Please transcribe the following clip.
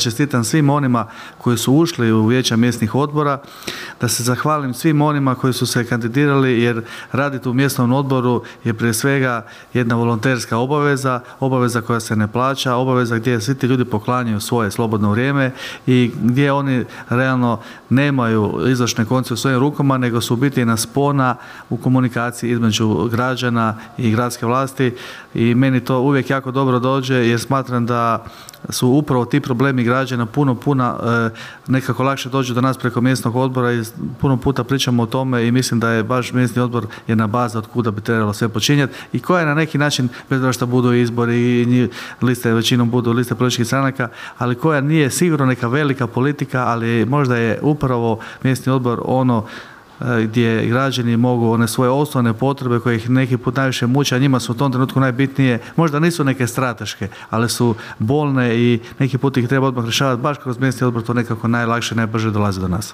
Čestitam svim onima koji su ušli u vijeća mjesnih odbora, da se zahvalim svim onima koji su se kandidirali, jer raditi u mjesnom odboru je prije svega jedna volonterska obaveza koja se ne plaća, obaveza gdje svi ti ljudi poklanjaju svoje slobodno vrijeme i gdje oni realno nemaju izvršne konce u svojim rukama, nego su u biti jedna spona u komunikaciji između građana i gradske vlasti i meni to uvijek jako dobro dođe, jer smatram da su upravo ti problemi građana puno nekako lakše dođu do nas preko mjesnog odbora i puno puta pričamo o tome i mislim da je baš mjesni odbor jedna baza od kuda bi trebalo sve počinjati i koja je na neki način, bez obzira što budu izbori i liste, većinom budu liste političkih stranaka, ali koja nije sigurno neka velika politika, ali možda je upravo mjesni odbor ono gdje građani mogu one svoje osnovne potrebe koje ih neki put najviše muče, a njima su u tom trenutku najbitnije, možda nisu neke strateške, ali su bolne i neki put ih treba odmah rješavati, baš kroz mjesni odbor to nekako najlakše, najbrže dolazi do nas.